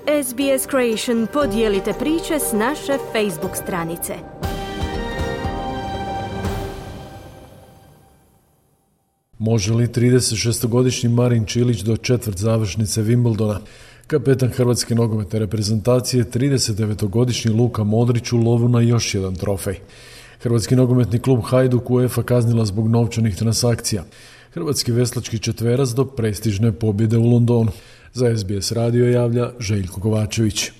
SBS Creation podijelite priče s naše Facebook stranice. Može li 36-godišnji Marin Čilić do četvrt završnice Wimbledona? Kapetan hrvatske nogometne reprezentacije, 39-godišnji Luka Modrić, u lovu na još jedan trofej. Hrvatski nogometni klub Hajduk UEFA kaznila zbog novčanih transakcija. Hrvatski veslački četverac do prestižne pobjede u Londonu. Za SBS radio javlja Željko Kovačević.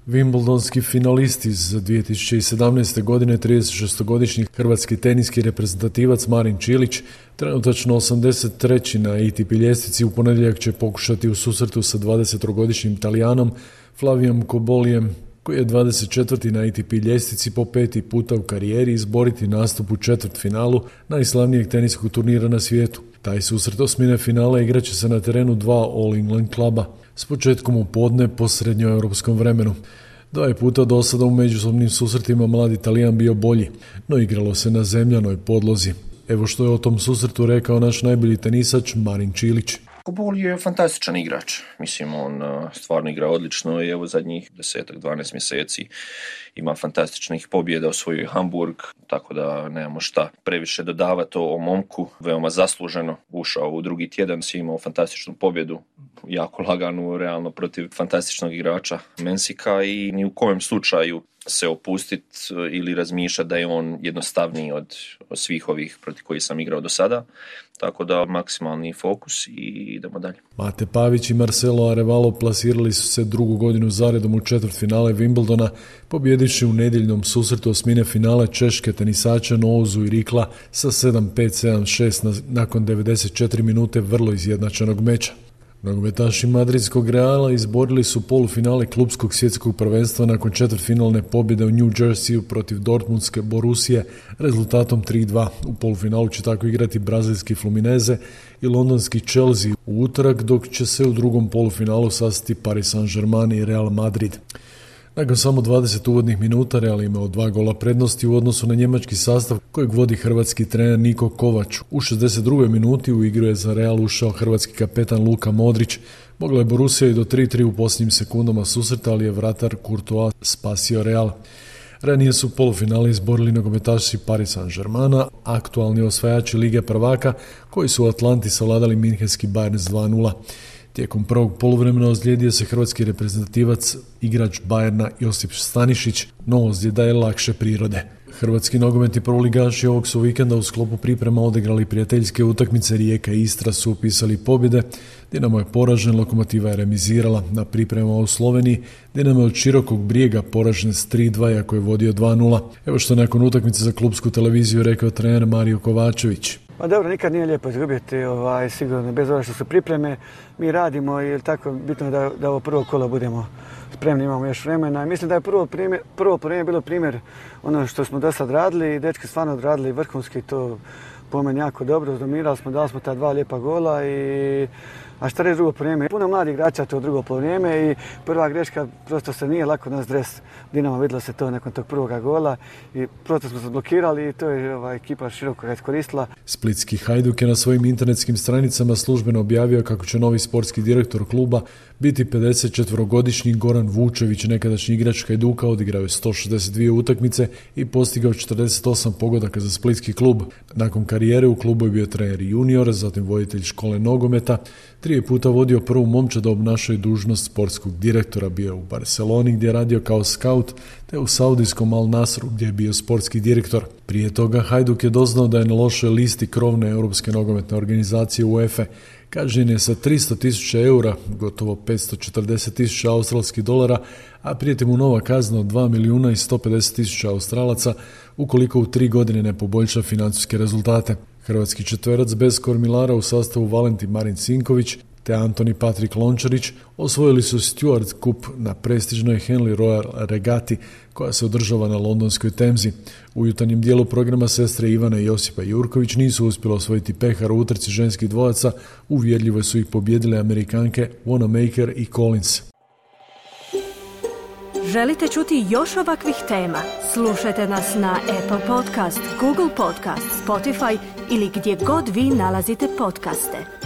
Wimbledonski finalist iz 2017. godine, 36-godišnji hrvatski teniski reprezentativac Marin Čilić, trenutačno 83. na ATP ljestvici, u ponedjeljak će pokušati u susretu sa 20-godišnjim Talijanom Flavijom Kobolijem, koji je 24. na ATP ljestvici, po 5. puta u karijeri izboriti nastup u četvrtfinalu najslavnijeg teniskog turnira na svijetu. Taj susret osmine finala igraće se na terenu dva All England kluba s početkom u podne po srednjoeuropskom vremenu. 2 puta do sada u međusobnim susretima mladi Talijan bio bolji, no igralo se na zemljanoj podlozi. Evo što je o tom susretu rekao naš najbolji tenisač Marin Čilić. Kobol je fantastičan igrač. Mislim, on stvarno igra odlično i evo zadnjih 10-12 mjeseci ima fantastičnih pobjeda, osvojio Hamburg, tako da nemamo šta previše dodavati o momku. Veoma zasluženo ušao u drugi tjedan, si imao fantastičnu pobjedu, jako laganu, realno protiv fantastičnog igrača Mensika, i ni u kojem slučaju se opustiti ili razmišljati da je on jednostavniji od svih ovih protiv kojih sam igrao do sada. Tako da maksimalni fokus i idemo dalje. Mate Pavić i Marcelo Arevalo plasirali su se drugu godinu zaredom u četvrtfinale Wimbledona, pobjedivši u nedjeljnom susretu osmine finale češke tenisače Noozu i Rikla sa 7-5, 7-6 nakon 94 minute vrlo izjednačenog meča. Nogometaši madridskog Reala izborili su polufinale klubskog svjetskog prvenstva nakon četvrtfinalne pobjede u New Jerseyu protiv dortmundske Borussije rezultatom 3-2. U polufinalu će tako igrati brazilski Fluminense i londonski Chelsea u utorak, dok će se u drugom polufinalu sastati Paris Saint-Germain i Real Madrid. Nakon samo 20 uvodnih minuta Real imao 2 gola prednosti u odnosu na njemački sastav kojeg vodi hrvatski trener Niko Kovač. U 62. minuti u igru je za Real ušao hrvatski kapetan Luka Modrić. Mogla je Borussija i do 3-3 u posljednjim sekundama susreta, ali je vratar Courtois spasio Real. Ranije su polufinale izborili nogometaši Paris Saint-Germaina, aktualni osvajači Lige prvaka, koji su u Atlanti savladali minhenski Bayern s 2-0. Tijekom prvog poluvremena ozlijedio se hrvatski reprezentativac, igrač Bayerna Josip Stanišić, no ozljeda je lakše prirode. Hrvatski nogometni prvoligaši ovog su vikenda u sklopu priprema odigrali prijateljske utakmice. Rijeka i Istra su upisali pobjede, Dinamo je poražen, Lokomotiva je remizirala. Na pripremama u Sloveniji Dinamo je od Širokog Brijega poražen s 3-2, iako je vodio 2-0. Evo što nakon utakmice za klubsku televiziju rekao trener Mario Kovačević. Pa dobro, nikad nije lijepo izgubiti, sigurno, bez obzira što su pripreme, mi radimo i tako bitno je da ovo prvo kolo budemo spremni, imamo još vremena. Mislim da je prvo vrijeme bilo primjer ono što smo do sad radili i dečki stvarno odradili vrhunski, to po meni jako dobro, dominirali smo, dali smo ta 2 lijepa gola a šta reći drugo vrijeme? Puno mladih igrača to drugo vrijeme i prva greška, prosto se nije lako nas dres Dinamo, vidjelo se to nakon tog prvoga gola i prosto smo se blokirali i to je ekipa široko ga iskoristila. Splitski Hajduk je na svojim internetskim stranicama službeno objavio kako će novi sportski direktor kluba biti 54-godišnji Goran Vučević, nekadašnji igrač Hajduka, odigrao je 162 utakmice i postigao 48 pogodaka za splitski klub. Nakon karijere u klubu je bio trener junior, zatim voditelj škole nogometa, 3 puta vodio prvu momčad, obnašao je dužnost sportskog direktora, bio je u Barceloni gdje je radio kao scout, te u saudijskom Al Nasru gdje je bio sportski direktor. Prije toga Hajduk je doznao da je na lošoj listi krovne europske nogometne organizacije UEFA. Kažnjen je sa 300.000 eura, gotovo 540.000 australskih dolara, a prijeti mu nova kazna od 2.150.000 Australaca ukoliko u 3 godine ne poboljša financijske rezultate. Hrvatski četverac bez kormilara u sastavu Valentin Marin Sinković te Antoni Patrik Lončarić osvojili su Stewart Cup na prestižnoj Henley Royal regati koja se održava na londonskoj Temzi. U jutarnjem dijelu programa sestre Ivana i Josipa Jurković nisu uspjeli osvojiti pehar u utrci ženskih dvojaca, uvjerljivo su ih pobijedile Amerikanke Wanamaker i Collins. Želite čuti još ovakvih tema? Slušajte nas na Apple Podcast, Google Podcast, Spotify ili gdje god vi nalazite podcaste.